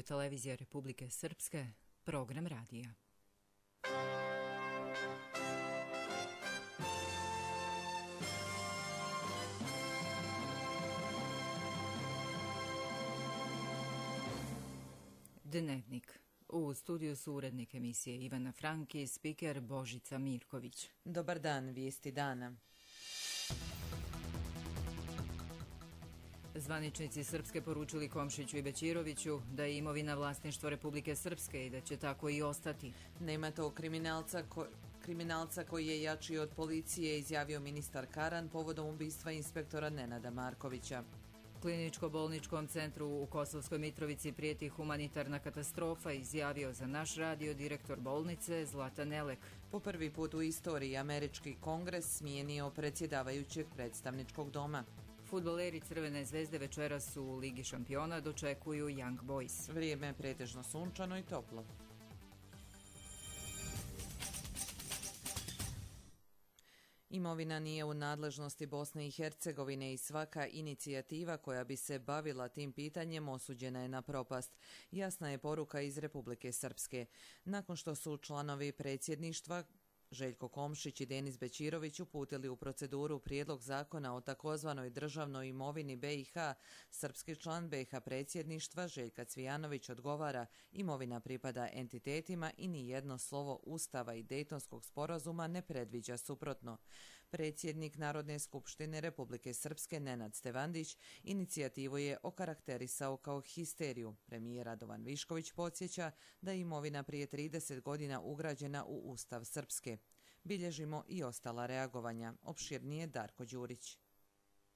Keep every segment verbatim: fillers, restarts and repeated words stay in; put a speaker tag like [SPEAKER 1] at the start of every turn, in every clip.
[SPEAKER 1] televizija Republike Srpske, program radija. Dnevnik. U studiju su urednik emisije Ivana Frank i spiker Božica Mirković.
[SPEAKER 2] Dobar dan, vijesti dana.
[SPEAKER 1] Zvaničnici Srpske poručili Komšiću i Bećiroviću da je imovina vlasništvo Republike Srpske i da će tako i ostati.
[SPEAKER 2] Nema tog kriminalca, ko, kriminalca koji je jači od policije, izjavio ministar Karan povodom ubistva inspektora Nenada Markovića.
[SPEAKER 1] Kliničko-bolničkom centru u Kosovskoj Mitrovici prijeti humanitarna katastrofa, izjavio za naš radio direktor bolnice Zlatan Elek.
[SPEAKER 2] Po prvi put u istoriji američki kongres smijenio predsjedavajućeg predstavničkog doma.
[SPEAKER 1] Fudbaleri Crvene zvezde večeras u Ligi šampiona dočekuju Young Boys.
[SPEAKER 2] Vrijeme je pretežno sunčano i toplo. Imovina nije u nadležnosti Bosne i Hercegovine i svaka inicijativa koja bi se bavila tim pitanjem osuđena je na propast. Jasna je poruka iz Republike Srpske. Nakon što su članovi predsjedništva Željko Komšić i Denis Bećirović uputili u proceduru prijedlog zakona o takozvanoj državnoj imovini B i H, srpski član B i H predsjedništva Željka Cvijanović odgovara: imovina pripada entitetima i ni jedno slovo Ustava i Dejtonskog sporazuma ne predviđa suprotno. Predsjednik Narodne skupštine Republike Srpske Nenad Stevandić inicijativu je okarakterisao kao histeriju. Premijer Radovan Višković podsjeća da je imovina prije trideset godina ugrađena u Ustav Srpske. Bilježimo i ostala reagovanja. Opširnije Darko Đurić.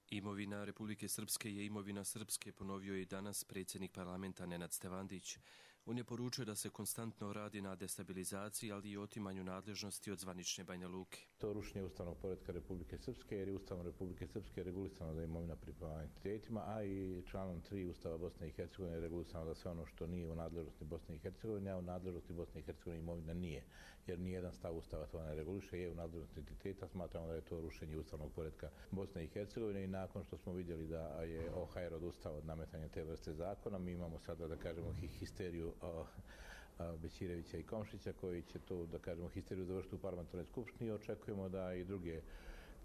[SPEAKER 3] Imovina Republike Srpske je imovina Srpske, ponovio je i danas predsjednik parlamenta Nenad Stevandić. On je poručio da se konstantno radi na destabilizaciji, ali i otimanju nadležnosti od zvanične Banja Luke.
[SPEAKER 4] To rušenje ustavnog poretka Republike Srpske, jer je Ustavom Republike Srpske regulisano da je imovina pripada entitetima, a i članom tri Ustava Bosne i Hercegovine je regulisano da sve ono što nije u nadležnosti Bosne i Hercegovine, a u nadležnosti Bosne i Hercegovine imovina nije, jer nijedan stav Ustava to ne reguliše, je u nadležnosti entiteta. Smatramo da je to rušenje ustavnog poretka Bosne i Hercegovine i nakon što smo vidjeli da je O H R odustao od nametanja te vrste zakona, mi imamo sada, da kažemo, histeriju o, o Bećirevića i Komšića koji će to, da kažemo, histeriju završiti u parlamentarnoj skupštini i očekujemo da i druge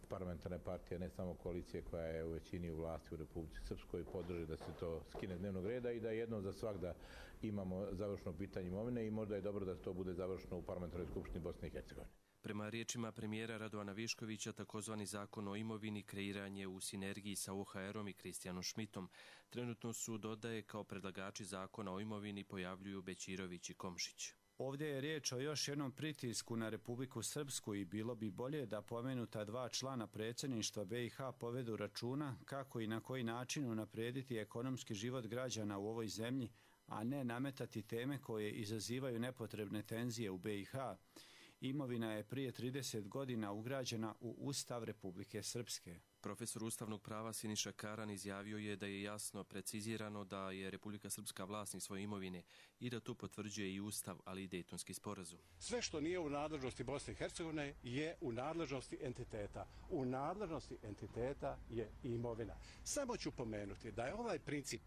[SPEAKER 4] parlamentarne partije, ne samo koalicije koja je u većini u vlasti u Republici Srpskoj, podrži da se to skine dnevnog reda i da jednom za svagda imamo završno pitanje imovine i možda je dobro da to bude završeno u parlamentarnoj skupštini Bosne i Hercegovine.
[SPEAKER 3] Prema riječima premijera Radovana Viškovića, takozvani zakon o imovini kreiranje u sinergiji sa O H R-om i Kristijanom Šmitom. Trenutno su, dodaje, kao predlagači zakona o imovini pojavljuju Bećirović i Komšić.
[SPEAKER 5] Ovdje je riječ o još jednom pritisku na Republiku Srpsku i bilo bi bolje da pomenuta dva člana predsjedništva B i H povedu računa kako i na koji način unaprijediti ekonomski život građana u ovoj zemlji, a ne nametati teme koje izazivaju nepotrebne tenzije u B i H. Imovina je prije trideset godina ugrađena u Ustav Republike Srpske.
[SPEAKER 3] Profesor ustavnog prava Siniša Karan izjavio je da je jasno precizirano da je Republika Srpska vlasnik svoje imovine i da to potvrđuje i Ustav, ali i Dejtonski sporazum.
[SPEAKER 6] Sve što nije u nadležnosti Bosne i Hercegovine je u nadležnosti entiteta. U nadležnosti entiteta je i imovina. Samo ću pomenuti da je ovaj princip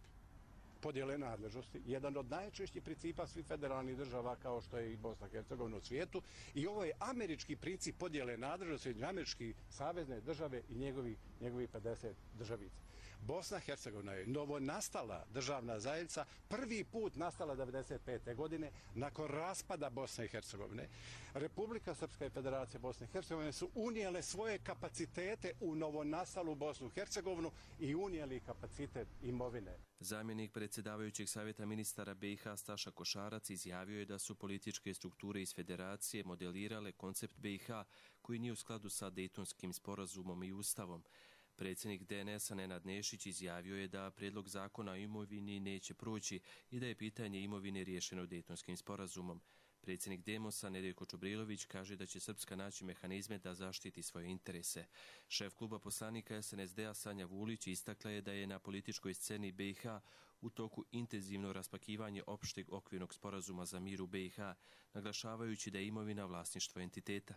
[SPEAKER 6] podjele nadležnosti jedan od najčešćih principa svih federalnih država kao što je i Bosna i Hercegovina u svijetu i ovo je američki princip podjele nadležnosti, američki savezne države i njegovi, njegovi pedeset državica. Bosna i Hercegovina je novonastala državna zajednica, prvi put nastala devedeset pete godine nakon raspada Bosne i Hercegovine. Republika Srpska i Federacija Bosne i Hercegovine su unijele svoje kapacitete u novonastalu Bosnu i Hercegovinu i unijeli kapacitet imovine.
[SPEAKER 3] Zamjenik predsjedavajućeg savjeta ministara B i H Staša Košarac izjavio je da su političke strukture iz federacije modelirale koncept B i H koji nije u skladu sa Dejtonskim sporazumom i Ustavom. Predsjednik D N S-a Nenad Nešić izjavio je da prijedlog zakona o imovini neće proći i da je pitanje imovine riješeno Dejtonskim sporazumom. Predsjednik Demosa Nedeljko Čubrilović kaže da će Srpska naći mehanizme da zaštiti svoje interese. Šef kluba poslanika S N S D-a Sanja Vulić istakla je da je na političkoj sceni B i H u toku intenzivno raspakivanje opšteg okvirnog sporazuma za mir u B i H, naglašavajući da je imovina vlasništvo entiteta.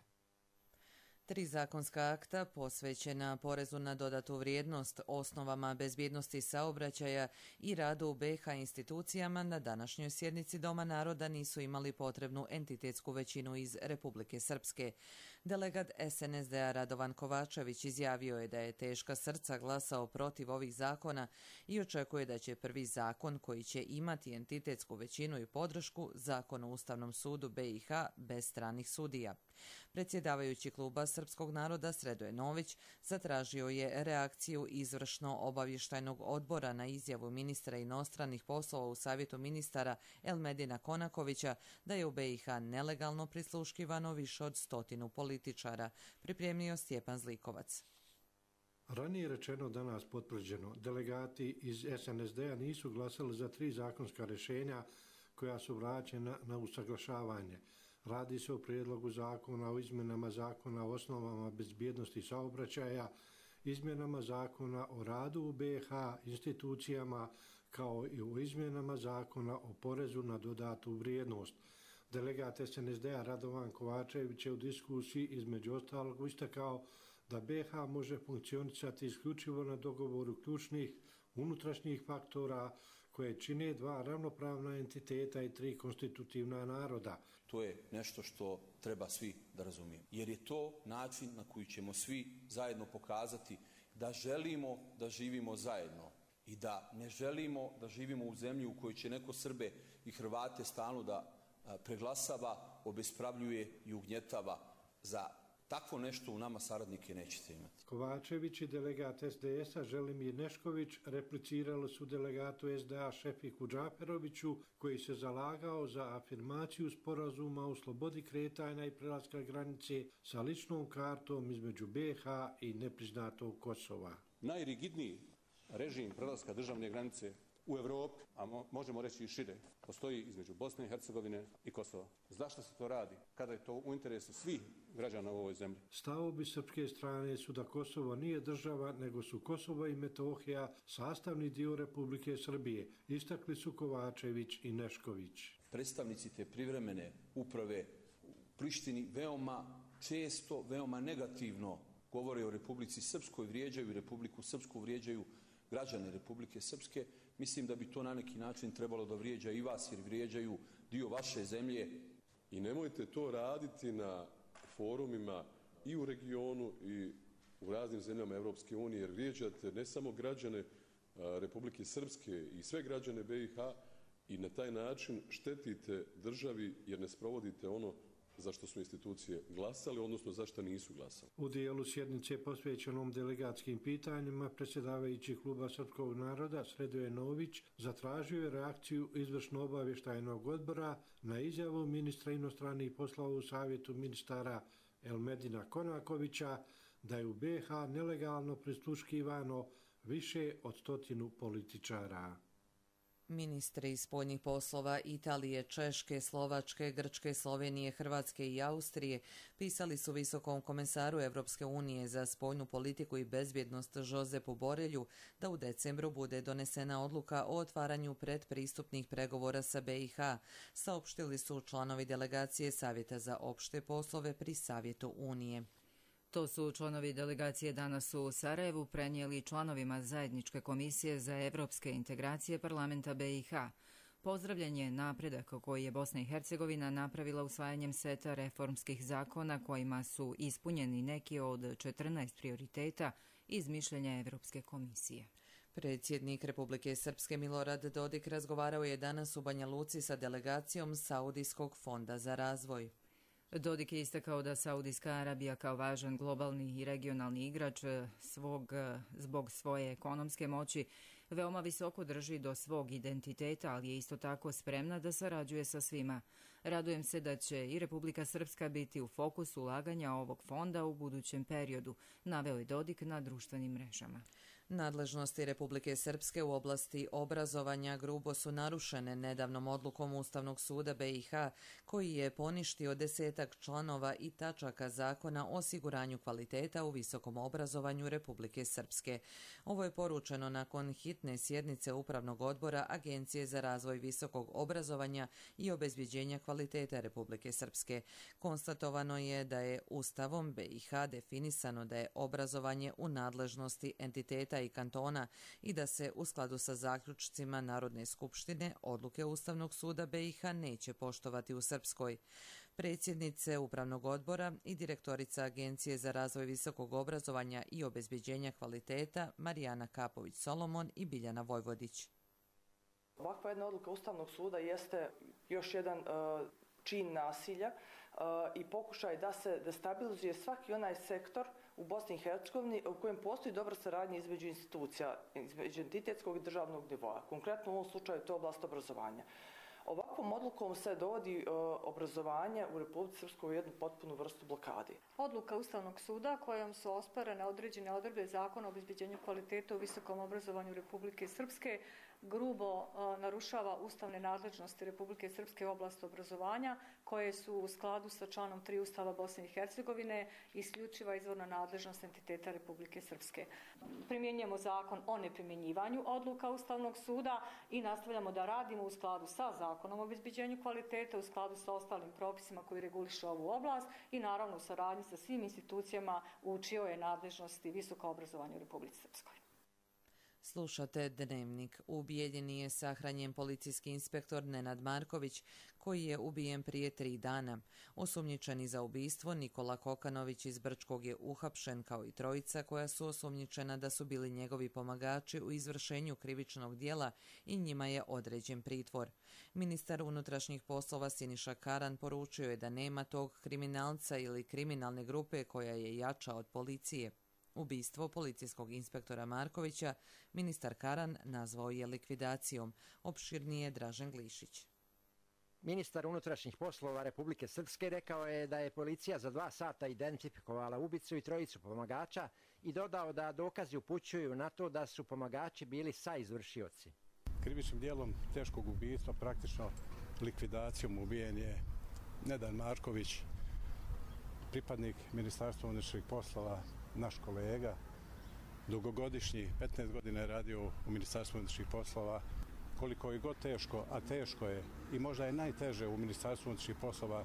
[SPEAKER 2] Tri zakonska akta posvećena porezu na dodatu vrijednost, osnovama bezbjednosti saobraćaja i radu u be ha institucijama na današnjoj sjednici Doma naroda nisu imali potrebnu entitetsku većinu iz Republike Srpske. Delegat es en es de a Radovan Kovačević izjavio je da je teška srca glasao protiv ovih zakona i očekuje da će prvi zakon koji će imati entitetsku većinu i podršku, Zakon o Ustavnom sudu be i ha, bez stranih sudija. Predsjedavajući kluba Srpskog naroda Sredoje Nović zatražio je reakciju izvršno obavještajnog odbora na izjavu ministra inostranih poslova u Savjetu ministara Elmedina Konakovića da je u be i ha nelegalno prisluškivano više od stotinu političara, pripremio Stjepan Zlikovac.
[SPEAKER 7] Ranije rečeno, danas potvrđeno, delegati iz es en es de a nisu glasali za tri zakonska rješenja koja su vraćena na usaglašavanje. Radi se o prijedlogu zakona o izmjenama zakona o osnovama bezbjednosti saobraćaja, izmjenama zakona o radu u be ha institucijama, kao i o izmjenama zakona o porezu na dodatu vrijednost. Delegat es en es de a Radovan Kovačević je u diskusiji između ostalog istakao da be ha može funkcionisati isključivo na dogovoru ključnih unutrašnjih faktora koje čine dva ravnopravna entiteta i tri konstitutivna naroda.
[SPEAKER 8] To je nešto što treba svi da razumijemo. Jer je to način na koji ćemo svi zajedno pokazati da želimo da živimo zajedno i da ne želimo da živimo u zemlji u kojoj će neko Srbe i Hrvate stalno da preglasava, obespravljuje i ugnjetava. Za takvo nešto u nama saradnike nećete imati.
[SPEAKER 7] Kovačević i delegat es de es a Želimir Nešković replicirali su delegatu es de a Šefiku Džaferoviću, koji se zalagao za afirmaciju sporazuma o slobodi kretanja i prelaska granice sa ličnom kartom između be ha i nepriznatog Kosova.
[SPEAKER 6] Najrigidniji režim prelaska državne granice u Evropi, a mo možemo reći i šire, postoji između Bosne i Hercegovine i Kosova. Zašto se to radi? Kada je to u interesu svih građana u ovoj zemlji?
[SPEAKER 7] Stavovi srpske strane su da Kosovo nije država, nego su Kosovo i Metohija sastavni dio Republike Srbije, istakli su Kovačević i Nešković.
[SPEAKER 8] Predstavnici te privremene uprave u Prištini veoma često, veoma negativno govore o Republici Srpskoj, vrijeđaju Republiku Srpsku, vrijeđaju građane Republike Srpske. Mislim da bi to na neki način trebalo da vrijeđa i vas, jer vrijeđaju dio vaše zemlje.
[SPEAKER 9] I nemojte to raditi na forumima i u regionu i u raznim zemljama Evropske unije, jer vrijeđate ne samo građane Republike Srpske i sve građane be i ha i na taj način štetite državi jer ne sprovodite ono za što su institucije glasali, odnosno za što nisu glasali.
[SPEAKER 7] U dijelu sjednice posvećenom delegatskim pitanjima predsjedavajući kluba Srpskog naroda Sredoje Nović zatražio je reakciju izvršno obavještajnog odbora na izjavu ministra inostranih poslova u Savjetu ministara Elmedina Konakovića da je u be ha nelegalno prisluškivano više od stotinu političara.
[SPEAKER 2] Ministri spoljnih poslova Italije, Češke, Slovačke, Grčke, Slovenije, Hrvatske i Austrije pisali su visokom komesaru Evropske unije za spoljnu politiku i bezbjednost Josepu Borelju da u decembru bude donesena odluka o otvaranju predpristupnih pregovora sa be i ha, saopštili su članovi delegacije Savjeta za opšte poslove pri Savjetu Unije.
[SPEAKER 1] To su članovi delegacije danas u Sarajevu prenijeli članovima Zajedničke komisije za evropske integracije parlamenta be i ha. Pozdravljen je napredak koji je Bosna i Hercegovina napravila usvajanjem seta reformskih zakona kojima su ispunjeni neki od četrnaest prioriteta iz mišljenja Evropske komisije.
[SPEAKER 2] Predsjednik Republike Srpske Milorad Dodik razgovarao je danas u Banja Luci sa delegacijom Saudijskog fonda za razvoj.
[SPEAKER 1] Dodik je istakao da Saudijska Arabija kao važan globalni i regionalni igrač svog, zbog svoje ekonomske moći veoma visoko drži do svog identiteta, ali je isto tako spremna da sarađuje sa svima. Radujem se da će i Republika Srpska biti u fokusu ulaganja ovog fonda u budućem periodu, naveo je Dodik na društvenim mrežama.
[SPEAKER 2] Nadležnosti Republike Srpske u oblasti obrazovanja grubo su narušene nedavnom odlukom Ustavnog suda B i H, koji je poništio desetak članova i tačaka zakona o osiguranju kvaliteta u visokom obrazovanju Republike Srpske. Ovo je poručeno nakon hitne sjednice Upravnog odbora Agencije za razvoj visokog obrazovanja i obezbjeđenja kvaliteta Republike Srpske. Konstatovano je da je Ustavom B i H definisano da je obrazovanje u nadležnosti entiteta i kantona i da se u skladu sa zaključcima Narodne skupštine odluke Ustavnog suda B i H neće poštovati u Srpskoj. Predsjednice Upravnog odbora i direktorica Agencije za razvoj visokog obrazovanja i obezbjeđenja kvaliteta Marijana Kapović-Solomon i Biljana Vojvodić.
[SPEAKER 10] Ovakva jedna odluka Ustavnog suda jeste još jedan uh, čin nasilja uh, i pokušaj da se destabilizuje svaki onaj sektor u Bosni i Hercegovini u kojem postoji dobra saradnja između institucija, između entitetskog i državnog nivoa. Konkretno u ovom slučaju to je oblast obrazovanja. Ovakvom odlukom se dovodi e, obrazovanje u Republici Srpskoj u jednu potpunu vrstu blokadi.
[SPEAKER 11] Odluka Ustavnog suda kojom su osporene određene odredbe Zakona o obezbeđenju kvaliteta u visokom obrazovanju Republike Srpske grubo e, narušava ustavne nadležnosti Republike Srpske u oblasti obrazovanja, koje su u skladu sa članom tri Ustava Bosne i Hercegovine isključiva izvorna nadležnost entiteta Republike Srpske. Primjenjujemo zakon o neprimjenjivanju odluka Ustavnog suda i nastavljamo da radimo u skladu sa zakonom o obezbeđenju kvaliteta, u skladu sa ostalim propisima koji regulišu ovu oblast i naravno u saradnji sa svim institucijama u čijoj je nadležnosti visoko obrazovanje u Republici Srpskoj.
[SPEAKER 2] Slušate Dnevnik. U Bijeljini je sahranjen policijski inspektor Nenad Marković, koji je ubijen prije tri dana. Osumnjičeni za ubistvo Nikola Kokanović iz Brčkog je uhapšen, kao i trojica koja su osumnjičena da su bili njegovi pomagači u izvršenju krivičnog dijela i njima je određen pritvor. Ministar unutrašnjih poslova Siniša Karan poručio je da nema tog kriminalca ili kriminalne grupe koja je jača od policije. Ubistvo policijskog inspektora Markovića ministar Karan nazvao je likvidacijom. Opširnije Dražen Glišić.
[SPEAKER 12] Ministar unutrašnjih poslova Republike Srpske rekao je da je policija za dva sata identifikovala ubicu i trojicu pomagača i dodao da dokazi upućuju na to da su pomagači bili saizvršioci.
[SPEAKER 6] Krivičnim dijelom teškog ubistva, praktično likvidacijom ubijen je Nenad Marković, pripadnik Ministarstva unutrašnjih poslova, naš kolega, dugogodišnji, petnaest godina je radio u Ministarstvu unutrašnjih poslova. Koliko je god teško, a teško je i možda je najteže u Ministarstvu unutrašnjih poslova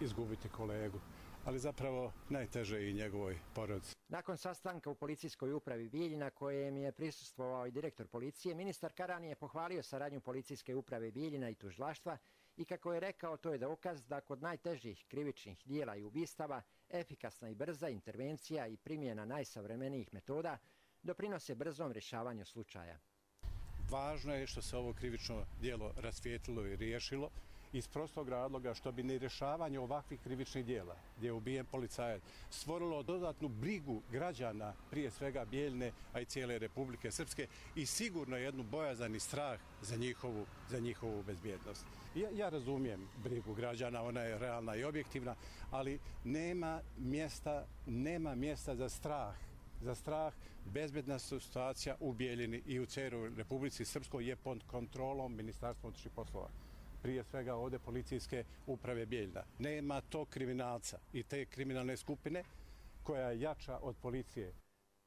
[SPEAKER 6] izgubiti kolegu, ali zapravo najteže je i njegovoj porodici.
[SPEAKER 12] Nakon sastanka u policijskoj upravi Bijeljina, kojem je prisustvovao i direktor policije, ministar Karan je pohvalio saradnju policijske uprave Bijeljina i tužilaštva i kako je rekao, to je dokaz da kod najtežih krivičnih dijela i ubistava efikasna i brza intervencija i primjena najsavremenijih metoda doprinose brzom rješavanju slučaja.
[SPEAKER 6] Važno je što se ovo krivično djelo rasvijetlilo i riješilo iz prostog razloga što bi nerješavanje ovakvih krivičnih djela, gdje je ubijen policajac, stvorilo dodatnu brigu građana, prije svega Bijeljine, a i cijele Republike Srpske, i sigurno jednu bojazan i strah za njihovu, za njihovu bezbjednost. Ja, ja razumijem brigu građana, ona je realna i objektivna, ali nema mjesta, nema mjesta za strah. Za strah, bezbedna situacija u Bijeljini i u cijeloj Republici Srpskoj je pod kontrolom Ministarstva unutrašnjih poslova. Prije svega ovdje policijske uprave Bijeljina. Nema tog kriminalca i te kriminalne skupine koja je jača od policije.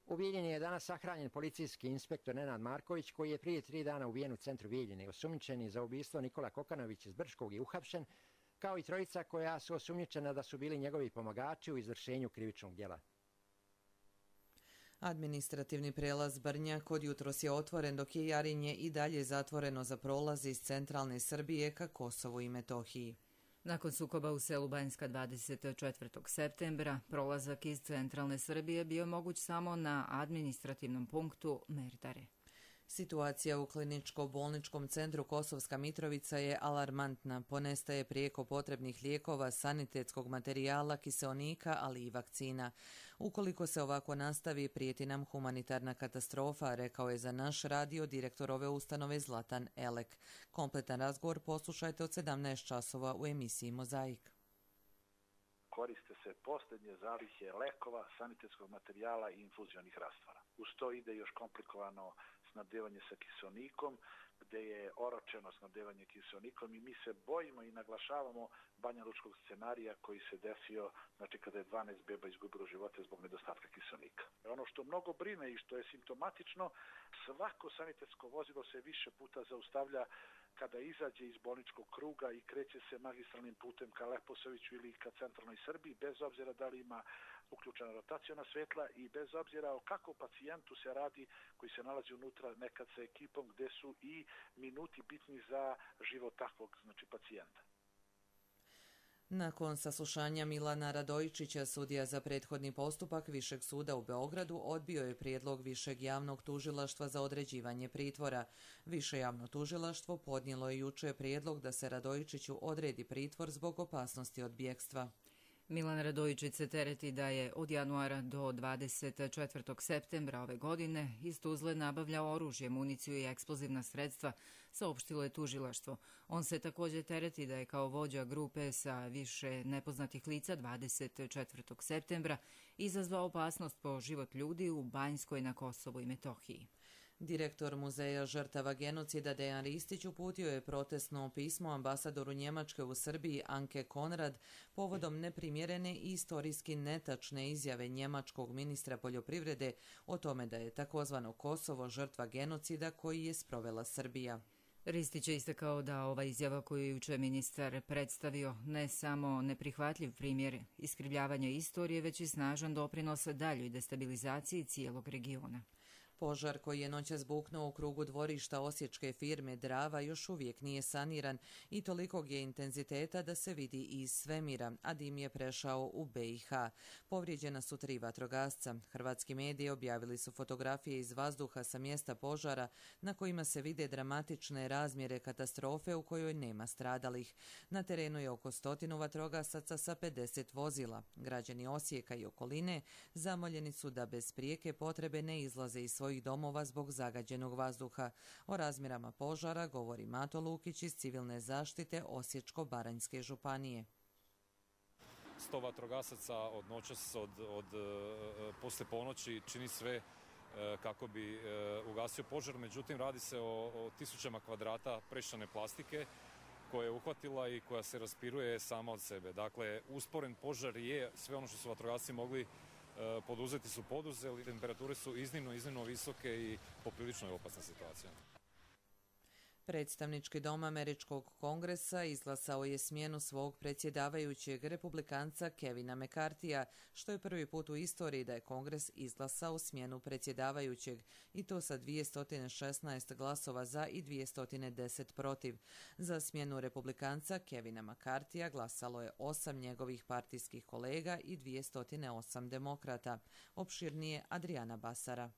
[SPEAKER 12] U Bijeljini je danas sahranjen policijski inspektor Nenad Marković, koji je prije tri dana ubijen u centru Bijeljine. Osumnjičeni za ubistvo Nikola Kokanović iz Brčkog je uhapšen, kao i trojica koja su osumnjičena da su bili njegovi pomagači u izvršenju krivičnog djela.
[SPEAKER 2] Administrativni prelaz Brnjak od jutros je otvoren, dok je Jarinje i dalje zatvoreno za prolaz iz centralne Srbije ka Kosovu i Metohiji.
[SPEAKER 1] Nakon sukoba u selu Banjska dvadeset četvrtog septembra, prolazak iz centralne Srbije bio moguć samo na administrativnom punktu Merdare.
[SPEAKER 2] Situacija u kliničko-bolničkom centru Kosovska Mitrovica je alarmantna. Ponestaje prijeko potrebnih lijekova, sanitetskog materijala, kiseonika, ali i vakcina. Ukoliko se ovako nastavi, prijeti nam humanitarna katastrofa, rekao je za naš radio direktor ove ustanove Zlatan Elek. Kompletan razgovor poslušajte od sedamnaest časova u emisiji Mozaik.
[SPEAKER 13] Koriste se posljednje zalihe lekova, sanitetskog materijala i infuzionih rastvora. uz to ide još komplikovano snabdevanje sa kiseonikom, gde je oročeno snabdevanje kiseonikom i mi se bojimo i naglašavamo banjalučkog scenarija koji se desio, znači kada je dvanaest beba izgubilo živote zbog nedostatka kiseonika. Ono što mnogo brine i što je simptomatično, svako sanitetsko vozilo se više puta zaustavlja kada izađe iz bolničkog kruga i kreće se magistralnim putem ka Leposaviću ili ka centralnoj Srbiji, bez obzira da li ima uključena rotaciona svetla i bez obzira o kakvom pacijentu se radi koji se nalazi unutra, nekad sa ekipom gde su i minuti bitni za život takvog, znači, pacijenta.
[SPEAKER 2] Nakon saslušanja Milana Radojičića, sudija za prethodni postupak Višeg suda u Beogradu odbio je prijedlog Višeg javnog tužilaštva za određivanje pritvora. Više javno tužilaštvo podnijelo je juče prijedlog da se Radojičiću odredi pritvor zbog opasnosti od bjegstva.
[SPEAKER 1] Milan Radojičić se tereti da je od januara do dvadeset četvrtog septembra ove godine iz Tuzle nabavljao oružje, municiju i eksplozivna sredstva, saopštilo je tužilaštvo. On se također tereti da je kao vođa grupe sa više nepoznatih lica dvadeset četvrtog septembra izazvao opasnost po život ljudi u Banjskoj na Kosovu i Metohiji.
[SPEAKER 2] Direktor Muzeja žrtava genocida Dejan Ristić uputio je protestno pismo ambasadoru Njemačke u Srbiji Anke Konrad povodom neprimjerene i istorijski netačne izjave njemačkog ministra poljoprivrede o tome da je takozvano Kosovo žrtva genocida koji je sprovela Srbija.
[SPEAKER 1] Ristić je istakao da ova izjava koju je juče ministar predstavio ne samo neprihvatljiv primjer iskrivljavanja istorije, već i snažan doprinos daljoj destabilizaciji cijelog regiona.
[SPEAKER 2] Požar koji je noćas buknuo u krugu dvorišta osječke firme Drava još uvijek nije saniran i tolikog je intenziteta da se vidi iz svemira, a dim je prešao u B i H. Povrijeđena su tri vatrogasca. Hrvatski mediji objavili su fotografije iz vazduha sa mjesta požara na kojima se vide dramatične razmjere katastrofe u kojoj nema stradalih. Na terenu je oko stotinu vatrogasaca sa pedeset vozila. Građani Osijeka i okoline zamoljeni su da bez prijeke potrebe ne izlaze iz svojih domova zbog zagađenog vazduha. O razmjerama požara govori Mato Lukić iz civilne zaštite Osječko-baranjske županije.
[SPEAKER 14] Sto vatrogasaca od noćas, od, od posle ponoći čini sve kako bi ugasio požar, međutim radi se o, o tisućama kvadrata prešane plastike koja je uhvatila i koja se raspiruje sama od sebe. Dakle, usporen požar je sve ono što su vatrogasci mogli poduzeti su poduzeli, temperature su iznimno, iznimno visoke i poprilično je opasna situacija.
[SPEAKER 2] Predstavnički dom Američkog kongresa izglasao je smjenu svog predsjedavajućeg republikanca Kevina McCarthyja, što je prvi put u istoriji da je kongres izglasao smjenu predsjedavajućeg, i to sa dvjesto šesnaest glasova za i dvjesto deset protiv. Za smjenu republikanca Kevina McCarthyja glasalo je osam njegovih partijskih kolega i dvjesto osam demokrata. Opširnije Adriana Basara.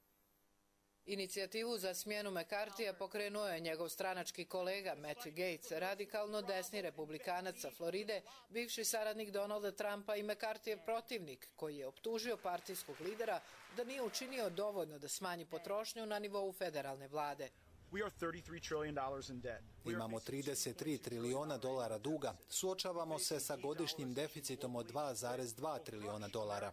[SPEAKER 15] Inicijativu za smjenu McCarthyja pokrenuo je njegov stranački kolega Matt Gaetz, radikalno desni republikanac sa Floride, bivši saradnik Donalda Trumpa i McCarthyjev protivnik, koji je optužio partijskog lidera da nije učinio dovoljno da smanji potrošnju na nivou federalne vlade.
[SPEAKER 16] Imamo trideset tri trilijona dolara duga, suočavamo se sa godišnjim deficitom od dva zarez dva trilijona dolara.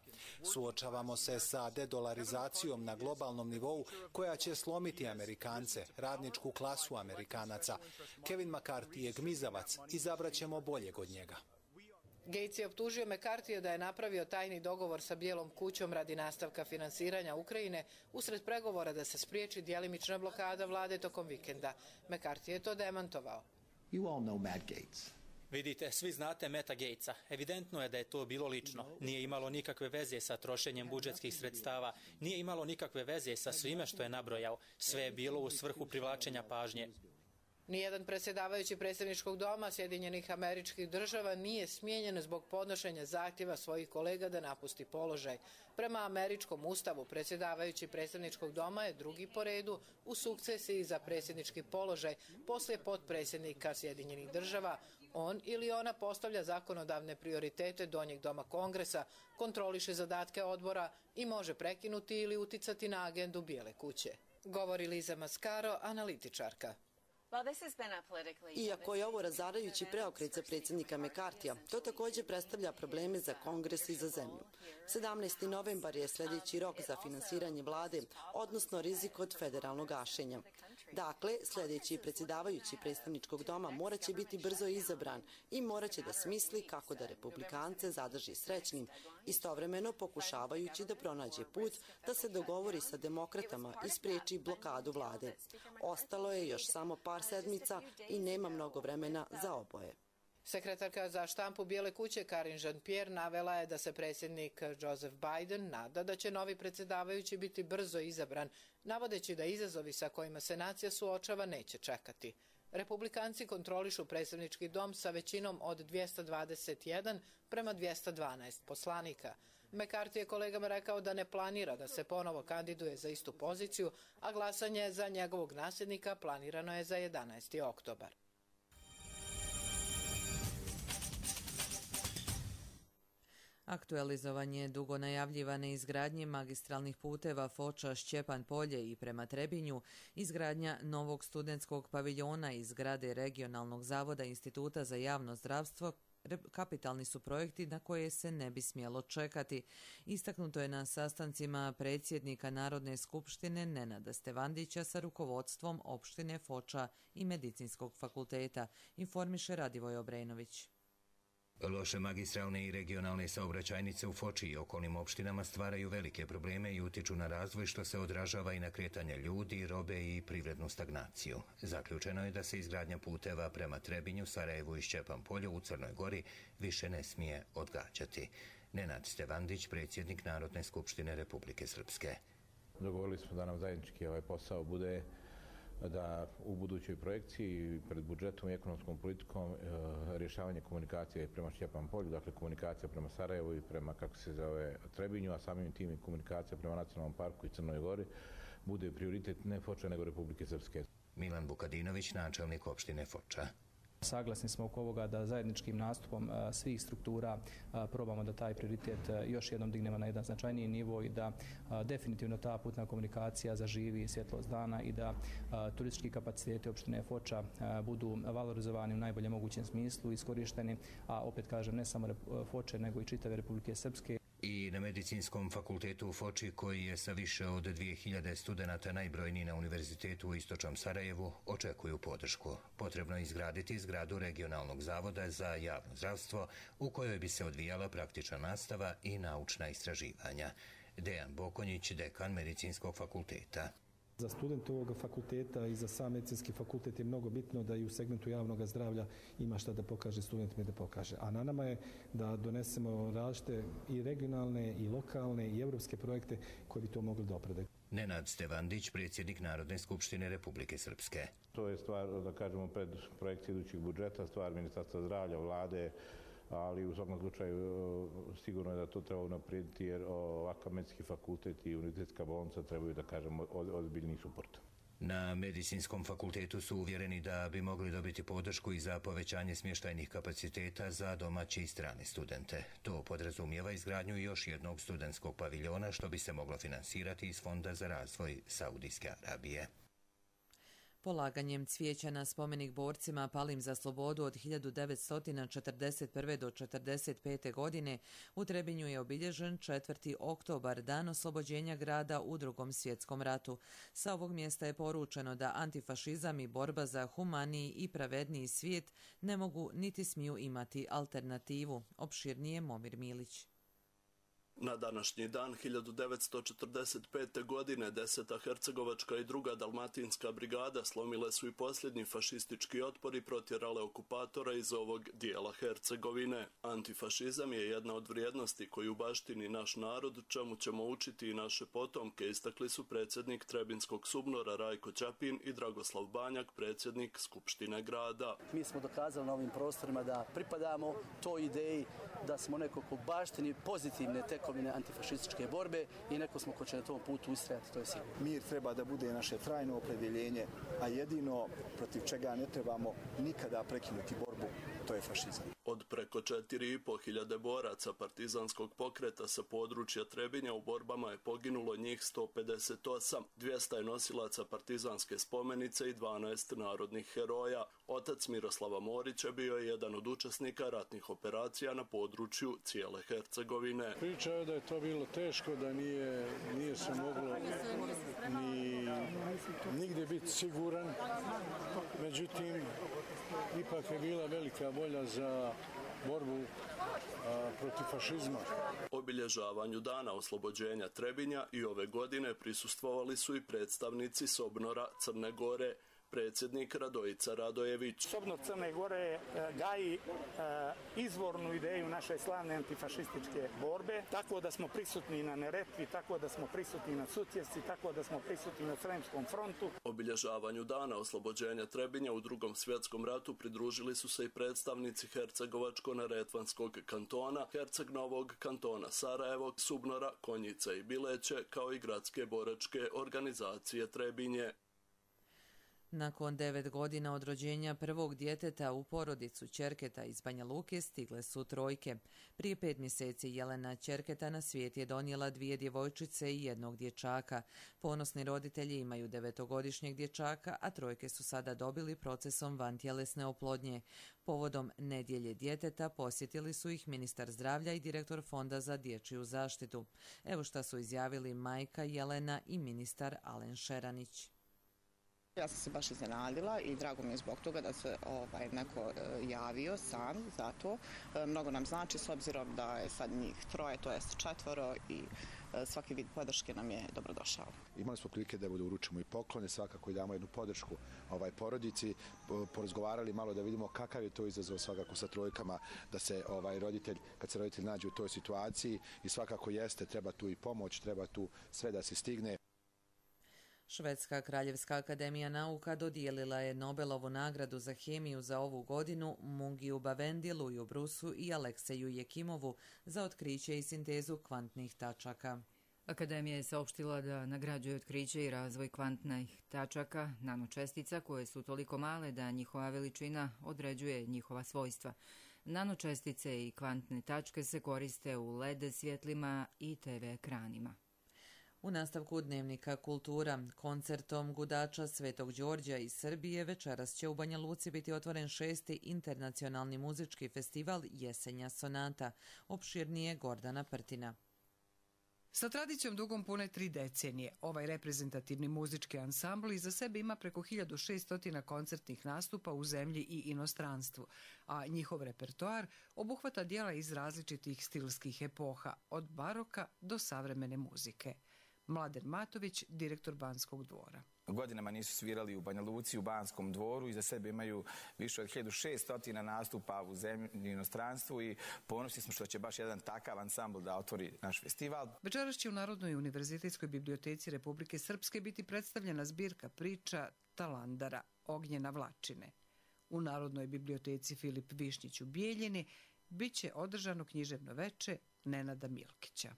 [SPEAKER 16] Suočavamo se sa dedolarizacijom na globalnom nivou koja će slomiti Amerikance, radničku klasu Amerikanaca. Kevin McCarthy je gmizavac, izabraćemo boljeg od njega.
[SPEAKER 15] Gaetz je optužio McCarthyja da je napravio tajni dogovor sa Bijelom kućom radi nastavka finansiranja Ukrajine usred pregovora da se spriječi djelimična blokada vlade tokom vikenda. McCarthy je to demantovao.
[SPEAKER 17] You all know Matt Gaetz.
[SPEAKER 18] Vidite, svi znate Matta Gaetza. Evidentno je da je to bilo lično. Nije imalo nikakve veze sa trošenjem budžetskih sredstava, nije imalo nikakve veze sa svime što je nabrojao. Sve je bilo u svrhu privlačenja pažnje.
[SPEAKER 15] Nijedan predsjedavajući predsjedničkog doma Sjedinjenih Američkih Država nije smijenjen zbog podnošenja zahtjeva svojih kolega da napusti položaj. Prema američkom ustavu, predsjedavajući predsjedničkog doma je drugi po redu u sukcesiji za predsjednički položaj poslije potpredsjednika Sjedinjenih Država. On ili ona postavlja zakonodavne prioritete donjeg doma Kongresa, kontroliše zadatke odbora i može prekinuti ili uticati na agendu Bijele kuće. Govori Liza Mascaro, analitičarka.
[SPEAKER 19] Iako je ovo razarajući preokret za predsjednika McCarthyja, to također predstavlja probleme za Kongres i za zemlju. sedamnaesti novembar je sljedeći rok za finansiranje vlade, odnosno rizik od federalnog gašenja. Dakle, sljedeći predsjedavajući predstavničkog doma morat će biti brzo izabran i morat će da smisli kako da republikance zadrži srećnim, istovremeno pokušavajući da pronađe put da se dogovori sa demokratama i spriječi blokadu vlade. Ostalo je još samo par sedmica i nema mnogo vremena za oboje.
[SPEAKER 15] Sekretarka za štampu Bijele kuće Karine Jean-Pierre navela je da se predsjednik Joseph Biden nada da će novi predsjedavajući biti brzo izabran, navodeći da izazovi sa kojima se nacija suočava neće čekati. Republikanci kontrolišu predsjednički dom sa većinom od dvjesto dvadeset jedan prema dvjesto dvanaest poslanika. McCarthy je kolegama rekao da ne planira da se ponovo kandiduje za istu poziciju, a glasanje za njegovog nasljednika planirano je za jedanaesti oktobar.
[SPEAKER 2] Aktualizovanje dugo najavljivane izgradnje magistralnih puteva Foča, Šćepan Polje i prema Trebinju, izgradnja novog studentskog paviljona iz zgrade Regionalnog zavoda Instituta za javno zdravstvo kapitalni su projekti na koje se ne bi smjelo čekati. Istaknuto je na sastancima predsjednika Narodne skupštine Nenada Stevandića sa rukovodstvom opštine Foča i Medicinskog fakulteta, informiše Radivoj Obrenović.
[SPEAKER 20] Loše magistralne i regionalne saobraćajnice u Foči i okolnim opštinama stvaraju velike probleme i utiču na razvoj, što se odražava i na kretanje ljudi, robe i privrednu stagnaciju. Zaključeno je da se izgradnja puteva prema Trebinju, Sarajevu i Šćepan Polju u Crnoj Gori više ne smije odgađati. Nenad Stevandić, predsjednik Narodne skupštine Republike Srpske.
[SPEAKER 4] Dogovorili smo da nam zajednički ovaj posao bude da u budućoj projekciji pred budžetom i ekonomskom politikom e, rješavanje komunikacije prema Šćepan Polju, dakle komunikacija prema Sarajevu i prema, kako se zove, Trebinju, a samim tim i komunikacija prema Nacionalnom parku i Crnoj Gori bude prioritet ne Foča nego Republike Srpske.
[SPEAKER 20] Milan Vukadinović, načelnik opštine Foča.
[SPEAKER 21] Saglasni smo oko ovoga da zajedničkim nastupom svih struktura probamo da taj prioritet još jednom dignemo na jedan značajniji nivo i da definitivno ta putna komunikacija zaživi svjetlost dana i da turistički kapaciteti opštine Foča budu valorizovani u najboljem mogućem smislu, iskorišteni, a opet kažem ne samo Foče nego i čitave Republike Srpske.
[SPEAKER 20] I na Medicinskom fakultetu u Foči, koji je sa više od dvije hiljade studenata najbrojniji na univerzitetu u istočnom Sarajevu, očekuju podršku. Potrebno je izgraditi zgradu Regionalnog zavoda za javno zdravstvo u kojoj bi se odvijala praktična nastava i naučna istraživanja. Dejan Bokonjić, dekan Medicinskog fakulteta.
[SPEAKER 22] Za studente ovog fakulteta i za sam medicinski fakultet je mnogo bitno da i u segmentu javnog zdravlja ima šta da pokaže studentima i da pokaže. A na nama je da donesemo različite i regionalne i lokalne i evropske projekte koji bi to mogli da oprede.
[SPEAKER 20] Nenad Stevandić, predsjednik Narodne skupštine Republike Srpske.
[SPEAKER 4] To je stvar, da kažemo, pred projekcije idućeg budžeta, stvar Ministarstva zdravlja, vlade, ali u svakom slučaju sigurno je da to treba unaprijediti jer ovakav medicinski fakultet i univerzitetska bolnica trebaju, da kažemo, ozbiljni suport.
[SPEAKER 20] Na Medicinskom fakultetu su uvjereni da bi mogli dobiti podršku i za povećanje smještajnih kapaciteta za domaće i strane studente. To podrazumijeva izgradnju još jednog studentskog paviljona, što bi se moglo finansirati iz Fonda za razvoj Saudijske Arabije.
[SPEAKER 2] Polaganjem cvijeća na spomenik borcima palim za slobodu od hiljadu devetsto četrdeset prve do četrdeset pete. godine u Trebinju je obilježen četvrti oktobar, dan oslobođenja grada u Drugom svjetskom ratu. Sa ovog mjesta je poručeno da antifašizam i borba za humaniji i pravedniji svijet ne mogu niti smiju imati alternativu. Opširnije Momir Milić.
[SPEAKER 23] Na današnji dan hiljadu devetsto četrdeset pete. godine deseta Hercegovačka i druga Dalmatinska brigada slomile su i posljednji fašistički otpor i protjerale okupatora iz ovog dijela Hercegovine. Antifašizam je jedna od vrijednosti koju baštini naš narod, čemu ćemo učiti i naše potomke, istakli su predsjednik Trebinskog SUBNOR-a Rajko Ćapin i Dragoslav Banjak, predsjednik Skupštine grada.
[SPEAKER 24] Mi smo dokazali na ovim prostorima da pripadamo toj ideji, da smo neko ko baštini pozitivne tekovine antifašističke borbe i neko smo ko će na tom putu ustrajati, to je sigurno.
[SPEAKER 25] Mir treba da bude naše trajno opredjeljenje, a jedino protiv čega ne trebamo nikada prekinuti borbu, to je fašizam.
[SPEAKER 23] Od preko četiri i po hiljade boraca partizanskog pokreta sa područja Trebinja u borbama je poginulo njih sto pedeset osam, dvjesto je nosilaca partizanske spomenice i dvanaest narodnih heroja. Otac Miroslava Morića bio je jedan od učesnika ratnih operacija na području cijele Hercegovine.
[SPEAKER 3] Priča je da je to bilo teško, da nije, nije se moglo ni nigdje biti siguran, međutim ipak je bila velika volja za borbu a, protiv fašizma.
[SPEAKER 23] Obilježavanju dana oslobođenja Trebinja i ove godine prisustvovali su i predstavnici Sobnora Crne Gore. Predsjednik Radojica Radojević.
[SPEAKER 5] Sobnor Crne Gore gaji izvornu ideju naše slavne antifašističke borbe, tako da smo prisutni na Neretvi, tako da smo prisutni na Sutjesci, tako da smo prisutni na Sremskom frontu.
[SPEAKER 23] Obilježavanju dana oslobođenja Trebinja u Drugom svjetskom ratu pridružili su se i predstavnici Hercegovačko-neretvanskog kantona, Herceg Novog kantona Sarajevo, Subnora, Konjice i Bileće, kao i gradske boračke organizacije Trebinje.
[SPEAKER 2] Nakon devet godina od rođenja prvog djeteta u porodicu Ćerketa iz Banja Luke stigle su trojke. Prije pet mjeseci Jelena Ćerketa na svijet je donijela dvije djevojčice i jednog dječaka. Ponosni roditelji imaju devetogodišnjeg dječaka, a trojke su sada dobili procesom vantjelesne oplodnje. Povodom nedjelje djeteta posjetili su ih ministar zdravlja i direktor Fonda za dječju zaštitu. Evo šta su izjavili majka Jelena i ministar Alen Šeranić.
[SPEAKER 7] Ja sam se baš iznenadila i drago mi je zbog toga da se ovaj, neko e, javio sam za to. E, mnogo nam znači s obzirom da je sad njih troje, to jest četvoro i e, svaki vid podrške nam je dobrodošao.
[SPEAKER 25] Imali smo prilike da uručimo i poklone, svakako i damo jednu podršku ovaj porodici, porazgovarali malo da vidimo kakav je to izazov svakako sa trojkama, da se ovaj roditelj, kad se roditelj nađe u toj situaciji i svakako jeste, treba tu i pomoć, treba tu sve da se stigne.
[SPEAKER 2] Švedska Kraljevska akademija nauka dodijelila je Nobelovu nagradu za hemiju za ovu godinu Mungiju Bavendi, Luju Brusu i Alekseju Jekimovu za otkriće i sintezu kvantnih tačaka.
[SPEAKER 1] Akademija je saopštila da nagrađuje otkriće i razvoj kvantnih tačaka, nanočestica koje su toliko male da njihova veličina određuje njihova svojstva. Nanočestice i kvantne tačke se koriste u L E D svjetlima i T V ekranima.
[SPEAKER 2] U nastavku dnevnika Kultura, koncertom gudača Svetog Đorđa iz Srbije večeras će u Banja Luci biti otvoren šesti internacionalni muzički festival Jesenja sonata. Opširnije Gordana Prtina.
[SPEAKER 8] Sa tradicijom dugom pune tri decenije, ovaj reprezentativni muzički ansambl iza sebe ima preko hiljadu šesto koncertnih nastupa u zemlji i inostranstvu, a njihov repertoar obuhvata dijela iz različitih stilskih epoha, od baroka do savremene muzike. Mladen Matović, direktor Banskog dvora.
[SPEAKER 9] Godinama nisu svirali u Banja Luci, u Banskom dvoru, iza sebe imaju više od hiljadu šesto nastupa u zemlji i inostranstvu i ponosni smo što će baš jedan takav ansambl da otvori naš festival.
[SPEAKER 8] Večeras će u Narodnoj univerzitetskoj biblioteci Republike Srpske biti predstavljena zbirka priča Talandara, Ognjena Vlačine. U Narodnoj biblioteci Filip Višnjić u Bijeljini bit će održano književno veče Nenada Milkića.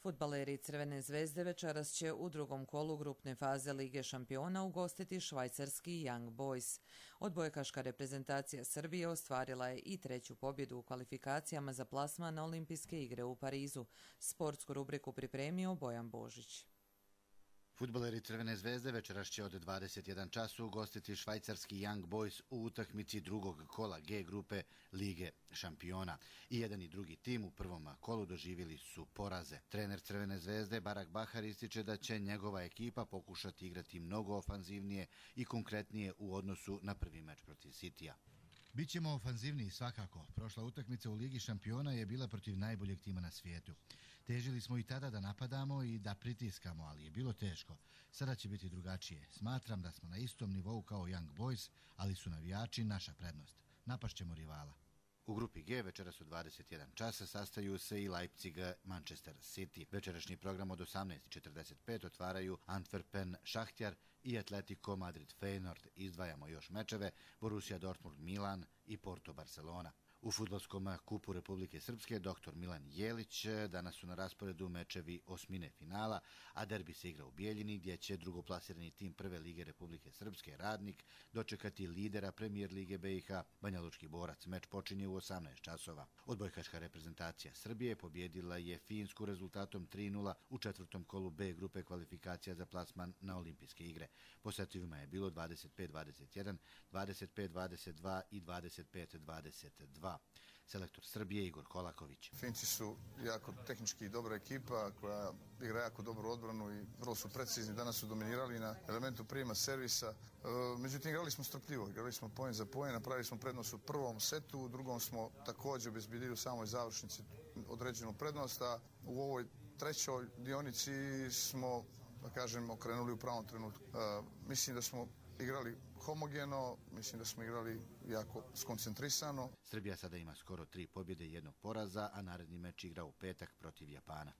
[SPEAKER 2] Fudbaleri Crvene zvezde večeras će u drugom kolu grupne faze Lige šampiona ugostiti švajcarski Young Boys. Odbojkaška reprezentacija Srbije ostvarila je i treću pobjedu u kvalifikacijama za plasman na Olimpijske igre u Parizu. Sportsku rubriku pripremio Bojan Božić.
[SPEAKER 26] Fudbaleri Crvene zvezde večeras će od dvadeset jedan času ugostiti švajcarski Young Boys u utakmici drugog kola G grupe Lige šampiona. I jedan i drugi tim u prvom kolu doživjeli su poraze. Trener Crvene zvezde Barak Bahar ističe da će njegova ekipa pokušati igrati mnogo ofanzivnije i konkretnije u odnosu na prvi meč protiv Citya.
[SPEAKER 27] Bićemo ofanzivniji svakako. Prošla utakmica u Ligi šampiona je bila protiv najboljeg tima na svijetu. Težili smo i tada da napadamo i da pritiskamo, ali je bilo teško. Sada će biti drugačije. Smatram da smo na istom nivou kao Young Boys, ali su navijači naša prednost. Napašćemo rivala.
[SPEAKER 26] U grupi G večeras u dvadeset jedan časa sastaju se i Leipzig Manchester City. Večerašnji program od osamnaest četrdeset pet otvaraju Antwerpen Šahtjar i Atletico Madrid Feyenoord. Izdvajamo još mečeve Borussia Dortmund Milan i Porto Barcelona. U fudbalskom kupu Republike Srpske doktor Milan Jelić danas su na rasporedu mečevi osmine finala, a derbi se igra u Bijeljini gdje će drugoplasirani tim Prve lige Republike Srpske Radnik dočekati lidera Premijer lige B i H Banjalučki Borac. Meč počinje u osamnaest časova. Odbojkaška reprezentacija Srbije pobjedila je Finsku rezultatom tri nula u četvrtom kolu B grupe kvalifikacija za plasman na Olimpijske igre. Posjetivima je bilo dvadeset pet dvadeset jedan, dvadeset pet dvadeset dva i dvadeset pet dvadeset dva. Selektor Srbije Igor Kolaković.
[SPEAKER 6] Finci su jako tehnički dobra ekipa koja igra jako dobru odbranu i vrlo su precizni. Danas su dominirali na elementu prijema servisa. Međutim, igrali smo strpljivo, igrali smo poen za poen, napravili smo prednost u prvom setu, u drugom smo također obezbjedili u samoj završnici određenu prednost, a u ovoj trećoj dionici smo, da kažem, okrenuli u pravom trenutku. Mislim da smo igrali homogeno, mislim da smo igrali jako skoncentrisano.
[SPEAKER 26] Srbija sada ima skoro tri pobjede i jednog poraza, a naredni meč igra u petak protiv Japana.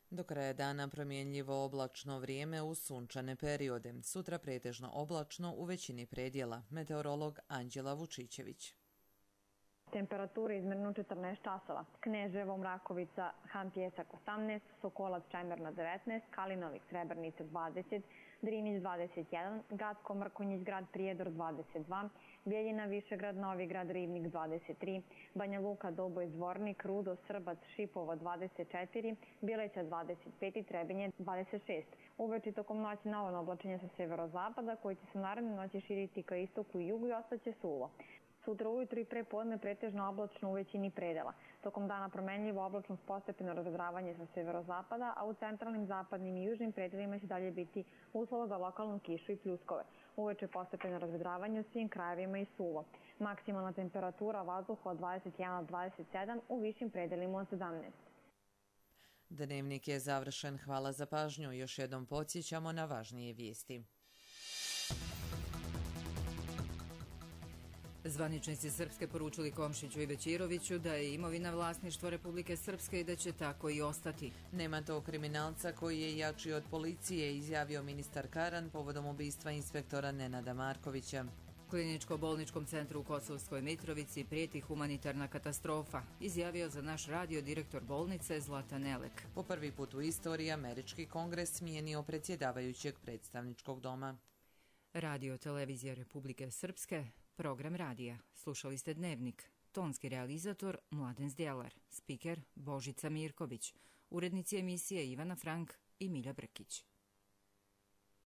[SPEAKER 2] Do kraja dana promjenljivo oblačno vrijeme uz sunčane periode. Sutra pretežno oblačno u većini predjela. Meteorolog Anđela Vučićević.
[SPEAKER 10] Temperature izmjerno četrnaest časova. Kneževo, Mrakovica, Han Pjesak osamnaest, Sokolac, Čemerna devetnaest, Kalinovik, Srebrnica dvadeset, Drinić dvadeset jedan, Gacko, Mrkonjić, Grad Prijedor dvadeset dva, Bijeljina, Višegrad, Novi Grad, Ribnik dvadeset tri, Banja Luka, Doboj, Zvornik, Rudo, Srbac, Šipovo dvadeset četiri, Bileća dvadeset pet i Trebinje dvadeset šest. Uveče tokom noći navodno oblačenje sa severozapada koji će se naredne noći širiti ka istoku i jugu i ostaće suvo. Sutra ujutru i prepodne pretežno oblačno u većini predela. Tokom dana promenljivo oblačno s postepeno razvedravanje sa severozapada, a u centralnim, zapadnim i južnim predelima će dalje biti uslova za lokalnu kišu i pljuskove. Uveče postepeno razvedravanje u svim krajevima i suvo. Maksimalna temperatura vazduha od dvadeset jedan do dvadeset sedam, u višim predelima od sedamnaest.
[SPEAKER 2] Dnevnik je završen. Hvala za pažnju. Još jednom podsjećamo na važnije vijesti.
[SPEAKER 1] Zvaničnici Srpske poručili Komšiću i Bećiroviću da je imovina vlasništvo Republike Srpske i da će tako i ostati.
[SPEAKER 2] Nema tog kriminalca koji je jači od policije, izjavio ministar Karan povodom ubistva inspektora Nenada Markovića.
[SPEAKER 1] Kliničko-bolničkom centru u Kosovskoj Mitrovici prijeti humanitarna katastrofa, izjavio za naš radio direktor bolnice Zlatan Elek.
[SPEAKER 2] Po prvi put u istoriji Američki kongres smijenio predsjedavajućeg predstavničkog doma.
[SPEAKER 1] Radio televizija Republike Srpske, program radija. Slušali ste Dnevnik. Tonski realizator Mladen Zdjelar, spiker Božica Mirković, urednici emisije Ivana Frank i Milja Brkić.